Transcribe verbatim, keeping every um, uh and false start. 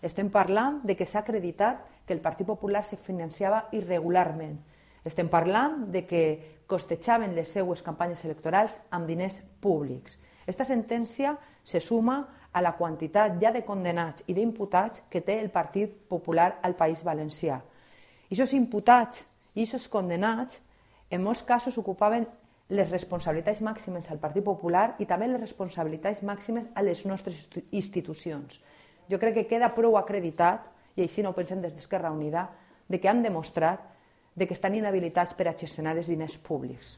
Estem parlant de que s'ha acreditat que el Partit Popular se financiava irregularment. Estem parlant de que costejaven les seues campanyes electorals amb diners públics. Aquesta sentència se suma a la quantitat ja de condenats i d'imputats que té el Partit Popular al País Valencià. I aquests imputats i aquests condenats en molts casos ocupaven les responsabilitats màximes al Partit Popular i també les responsabilitats màximes a les nostres institucions. Jo crec que queda prou acreditat, i així no ho pensem des d'Esquerra Unida, de que han demostrat que estan inhabilitats per a gestionar els diners públics.